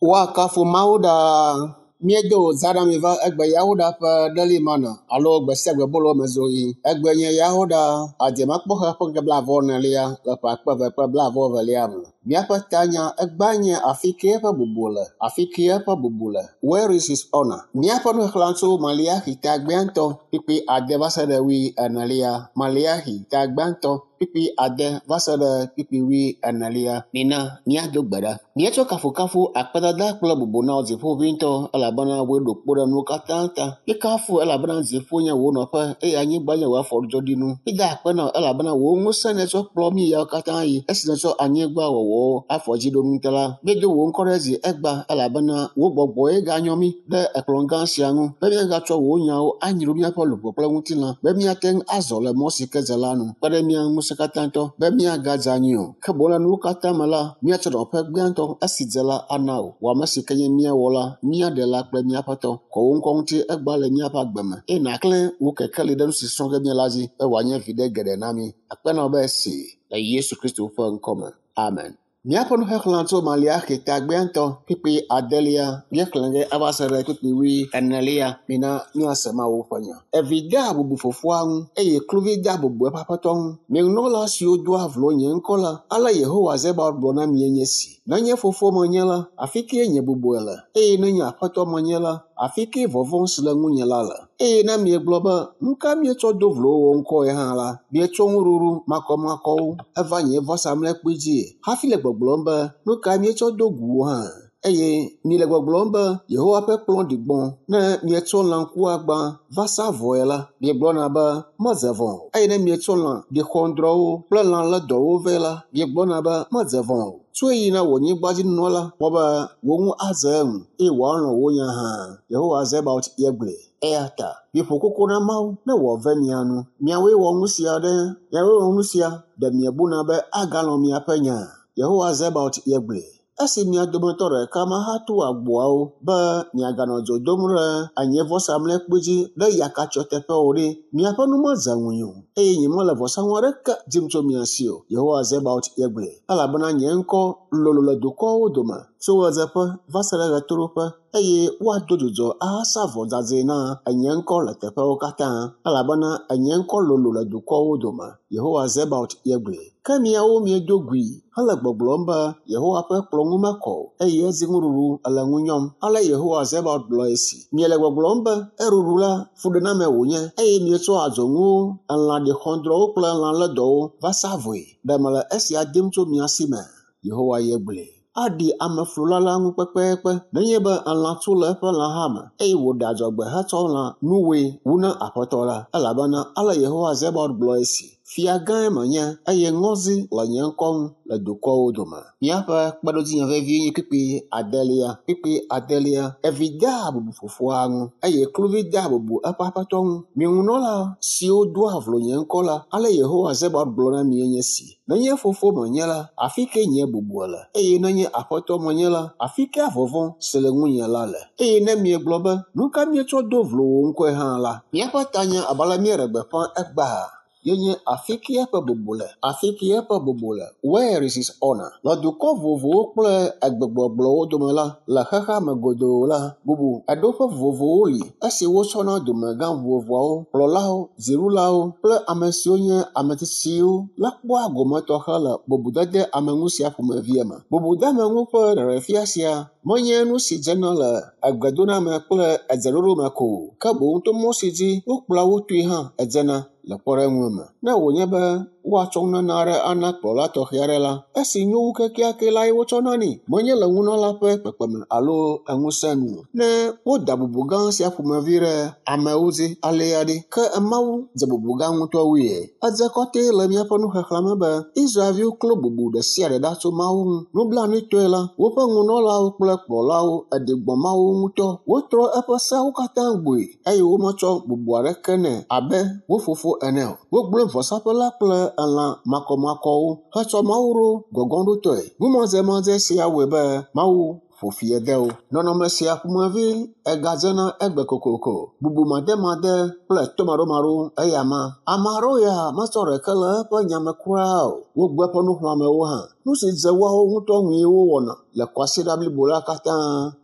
Woakafu Mawu ɖaa. Míedo zã na mi va egbe Yawoɖa ƒe ɖeli mana alo gbe sia gbe bolo me zoɣi. Egbe nye Yawoɖa adzemakpɔxe ƒe ŋkeke blaeve-vɔ-enelia le ƒe akpe eve kple blaeve-vɔ-evelia me. Míaƒe tanya egbea nye afi ke eƒe bubu le, afi ke eƒe bubu le. Where is his honor? Míaƒe nuxexlẽ tso Maleaxi ta gbãtɔ kpukpui ade va se ɖe wui enelia. Maleaxi ta gbãtɔ kpukpui ade va se ɖe kpukpui wui enelia. Mina míado gbe ɖa. Míetsɔ kafukafu, akpedada kple bubu na wò Dziƒoʋĩtɔ elabena wòe ɖo kpo ɖe nuwo katã ta. Míekafu elabena dziƒo nye wò nɔƒe eye anyigba nye wò afɔdzɔɖinu. Mída akpe na wò elabena wò ŋusẽ nètsɔ kplɔ mí yawo katã yi esi nètsɔ anyigba wɔwɔwo afɔdziɖonu ta la. Míedo wò ŋkɔ ɖe dzi egbea elabena wò gbɔgbɔe ganyɔ mí ɖe ekplɔ̃ gã sia ŋu be míagatsɔ wò nyawo anyro míaƒe luʋɔ kple ŋutilã be míate ŋu azɔ le mɔ si ke dze la nu. Kpe ɖe mía ŋu ŋusẽkatãtɔ be míagadze anyi o. Ke boŋ le nuwo katã me la, míatsɔ nɔƒe gbãtɔ esi dze la ana wò. Wò ame si ke nye mía Wɔla, mía Ɖela kple mía Aƒetɔ. Kɔ wò ŋkɔ ŋuti egbea le míaƒe agbe me eye nàklẽ wò kekeli ɖe nu si srɔ̃ ge míele la dzi be wòanye viɖe geɖe na mí. Akpe na wò be esi le Yesu Kristo ƒe ŋkɔ me. Amen. Míaƒe nuxexlẽ tso Maleaxi ta gbãtɔ kpukpui adelia míexlẽ ge ava se ɖe kpukpui wui enelia. Mina míase Mawu ƒe nya. Evi dea bubu fofoa ŋu eye kluvi dea bubu eƒe aƒetɔ ŋu. Mi nunɔla siwo doa vlo nye ŋkɔ la, ale Yehowa Zebaot gblɔ na mie nye esi. Ne nye fofo menye la, afi kae nye bubue le? Eye ne nye aƒetɔ menye la, afi kae vɔvɔ̃ si le ŋunye la le? Eye ne miegblɔ be, Nu ka míetsɔ do vlo wò ŋkɔe hã la, mietsɔ nuɖuɖu makɔmakɔwo eva nye vɔsamlekpui dzie hafi le gbɔgblɔm be, Nu kae míetsɔ do gu wò hã? Eye miele gbɔgblɔm be, Yehowa ƒe kplɔ̃ ɖi gbɔ̃. Ne mietsɔ lã ŋkuagbã va sa vɔe la, miegblɔna be, Medze vɔ̃ o. Eye ne mietsɔ lã ɖixɔŋdrɔwo kple lã lédɔwo vɛ la, miegblɔna be, Medze vɔ̃ o. Tsɔe yi na wò anyigbadzinunɔla kpɔ be wò nu adze eŋu eye wòalɔ̃ wò nya hã. Yehowa Zebaot ye gblɔe. Eya ta miƒo koko na Mawu ne wòave mia nu. Miawoe wɔ nu sia ɖe, miawoe wɔ nu sia, ɖe miebuna be agalɔ̃ miaƒe nya? Yehowa Zebaot ye gblɔe. Esi mia dometɔ ɖeka mahatu agboawo be miaganɔ dzo dom ɖe anyevɔsamlekpui dzi ɖe yakatsyɔ teƒe o ɖe, miaƒe nu medze ŋunye o, eye nyemele vɔsanu aɖeke dim tso mia si o, Yehowa Zebaot ye gblɔe. Elabena nye ŋkɔ lolo le dukɔwo dome tso ɣedzeƒe va se ɖe ɣetoɖoƒe, eye woado dzudzɔ ahasa vɔ dzadzɛ na nye ŋkɔ le teƒewo katã, elabena nye ŋkɔ lolo le dukɔwo dome, Yehowa Zebaot ye gblɔe. Ke miawo miedo gui hele gbɔgblɔm be, Yehowa ƒe kplɔ̃ ŋu mekɔ o, eye edi nuɖuɖu ele ŋu nyɔm. Ale Yehowa Zebaot gblɔ esi, Miele gbɔgblɔm be, Eɖuɖu la, fuɖename wònye, eye mietsɔ adzɔnuwo, elã ɖixɔdrɔ̃wo kple lã lédɔwo va sa vɔe. Ɖe mele esia dim tso mia si mea? Yehowa ye gblɔe. Aɖi ameflula la ŋu kpekpekpe nenye be elã tu le eƒe lãha me, eye wòɖe adzɔgbe hetsɔ lã nuwɔe wu na Aƒetɔ la. Elabena ale Yehowa Zebaot gblɔ esi, Fia gãe menye, eye ŋɔdzi le nye ŋkɔ ŋu le dukɔwo dome. Míaƒe kpeɖodzinya vevie nye kpukpui adelia. Kpukpui adelia, Evi dea bubu fofoa ŋu, eye kluvi dea bubu eƒe aƒetɔ ŋu. Mi ŋunɔla siwo doa vlo nye ŋkɔ la, ale Yehowa Zebaot gblɔ na mi enye esi, Nenye fofo menye la, afi kae nye bubu le? Eye nenye aƒetɔ menye la, afi kae vɔvɔ̃ si le ŋunye la le? Eye ne miegblɔ be, Nu ka míetsɔ do vlo wò ŋkɔe hã la, míaƒe tanya abe ale míeɖe gbeƒã egbea ye nye Afi kae eƒe bubu le? Afi kae eƒe bubu le? Where is his honor? Le dukɔ vovovowo kple egbegbɔgblɔwo dome la, le xexea me godoo la, bubu eɖoƒe vovovowo li esi wotsɔna dumegã vovovoawo, kplɔlawo, dziɖulawo kple ame siwo nye ame tsitsiwo la kpɔa gome tɔxɛ le bubudede ame ŋu sia ƒomevia me. Bubudeameŋu ƒe ɖeɖefia sia menye nu si dzena le egbedoname kple edzeɖoɖo me ko o, ke boŋ to mɔ si dzi wokplɔa wo toe hã edzena le kpɔɖeŋu me. Ne wònye be woatsɔ nunana aɖe ana kplɔla tɔxɛ aɖe la, esi nyo wu kekeake lae wotsɔna nɛ, menye le nunɔla ƒe kpekpeme alo ŋusẽ nu o. Ne woda bubu gã sia ƒomevi ɖe amewo dzi alea ɖe, ke Mawu dze bubu gã ŋutɔ wue. Edze kɔtɛ le míaƒe nuxexlẽ me be Israel-viwo klo bubu ɖe sia ɖe ɖa tso Mawu ŋu. Nublanuitɔe la, woƒe nunɔlawo kple kplɔlawo ɖi gbɔ̃ Mawu ŋutɔ. Wotrɔ eƒe seawo katã gbɔe eye wometsɔ bubu aɖeke nɛ abe wo fofo ene o. Wogblẽ vɔsaƒe la kple elã makɔmakɔwo hetsɔ Mawu ɖo gɔgɔ̃ɖotɔe. Numadzemadzɛ sia wɔe be Mawu ƒo fi de wo. Nɔnɔme sia ƒomevi egadzena egbe kokoko. Bubumademade kple tomaɖomaɖo eya ma. Ame aɖewo ya metsɔ ɖeke le eƒe nya me kura o. Wogbe eƒe nuxlɔ̃amewo hã. Nu si dze woawo ŋutɔ ŋue wowɔna. le kwasiɖa blibo la katã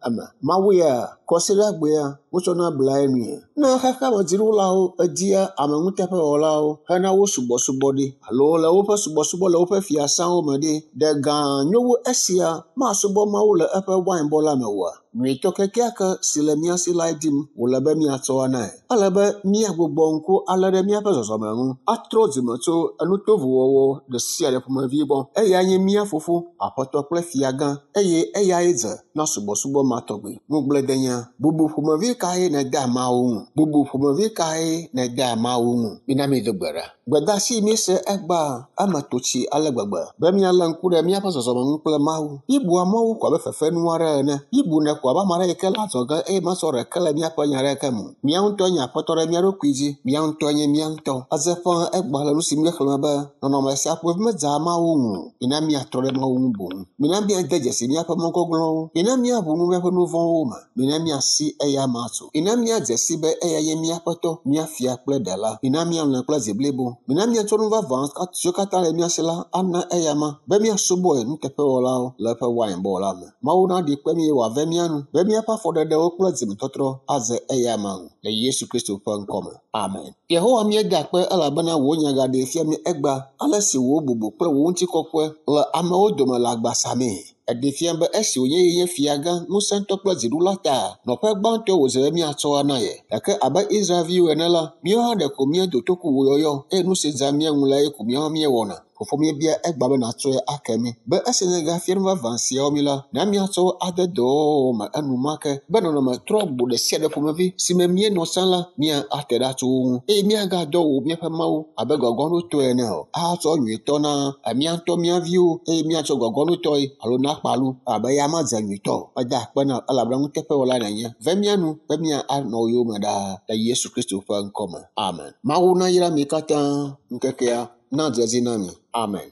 eme. Mawu ya kwasiɖagbea wotsɔna blae nui. Ne xexeme dziɖulawo edia ame nuteƒewɔlawo hena wo subɔsubɔ ɖi alo le woƒe subɔsubɔ le woƒe fiasãwo me ɖi, ɖe gã nyo wu esia masubɔ Mawu le eƒe wainbɔ la me oa? Nyuitɔ kekeake si le mía si lae dim wòle be míatsɔ anae. Ele be míagbugbɔ ŋku alé ɖe míaƒe zɔzɔme ŋu, atrɔ dzime tso enutovowɔwɔ ɖe sia ɖe ƒomevi gbɔ. Eyae nye mía fofo, aƒetɔ kple fiagã eye eyae dze na subɔsubɔ ma tɔgbi. Ŋugbledenya, bubu ƒomevi kae nèdea Mawu ŋu? Bubu ƒomevi kae nèdea Mawu ŋu? Mina míado gbe ɖa. Gbedeasi míese egbea eme to tsi ale gbegbe be míalé ŋku ɖe míaƒe zɔzɔme ŋu kple Mawu. Míebua Mawu ko abe fefenu aɖe ene. Míebunɛ ko abe ame aɖe yi ke le adzɔge eye mesɔ ɖeke le míaƒe nya aɖeke me o. Mía ŋutɔe nye aƒetɔ ɖe mía ɖokui dzi. Mía ŋutɔe nye mía ŋutɔ. Edze ƒãa egbea le nu si míexlẽme be nɔnɔme sia ƒomevi medzea Mawu ŋu o. Mina míatrɔ ɖe Mawu ŋu boŋ. Mina míade dzesi míaƒe mɔ gɔglɔ̃wo. Mina míaʋu nu míaƒe nu vɔ̃wo me. Mina míasi eya ma tso. Mina míadze si be eya nye mía Aƒetɔ, mía Fia kple Ɖela. Mina míalɔ̃e kple dzi blibo. Mina míatsɔ nu vavã siwo katã le mía si la ana eya ma be míasubɔe nuteƒewɔlawo le eƒe wainbɔ la me. Mawu naɖi kpe mí eye wòave mía nu be míaƒe afɔɖeɖewo kple dzimetɔtrɔ adze eya ma ŋu le Yesu Kristo ƒe ŋkɔ me. Amen. Yehowa míeda akpe elabena wò nya gaɖee fia mí egbea ale si wò bubu kple wò ŋutikɔkɔe le amewo dome le agba samee. Eɖee fia be esi wònye ye nye fiagã, ŋusẽtɔ kple dziɖula ta, nɔƒe gbãtɔe wòdze be míatsɔ ana ye. Gake abe Israelviwo ene la, míawo hã ɖeko míedo toku wò yɔyɔ eye nu si dzea mía ŋu lae ko míawo hã míewɔna. Fofo míebia egbea be nàtsɔe ake mí be esi nègafia nu vavã siawo mí la, na míatsɔ wo ade dɔwɔwɔ me enumake be nɔnɔme trɔgbo ɖe sia ɖe ƒomevi si me míenɔ tsã la, míate ɖa tso wo ŋu eye míagadɔ wò míaƒe Mawu abe gɔgɔnutɔe ene o, ahatsɔ nyuitɔ na mía ŋutɔ mía viwo eye míatsɔ gɔgɔnutɔe alo na kpalu abe eya medze nyuitɔ o. Meda akpe na wò elabena nuteƒewɔlae nènye. Ve mía nu be míanɔ yowòme ɖaa le Yesu Kristo ƒe ŋkɔ me. Amen. Mawu nayra mi katã ŋkekea nadze edzi na mi. Amen.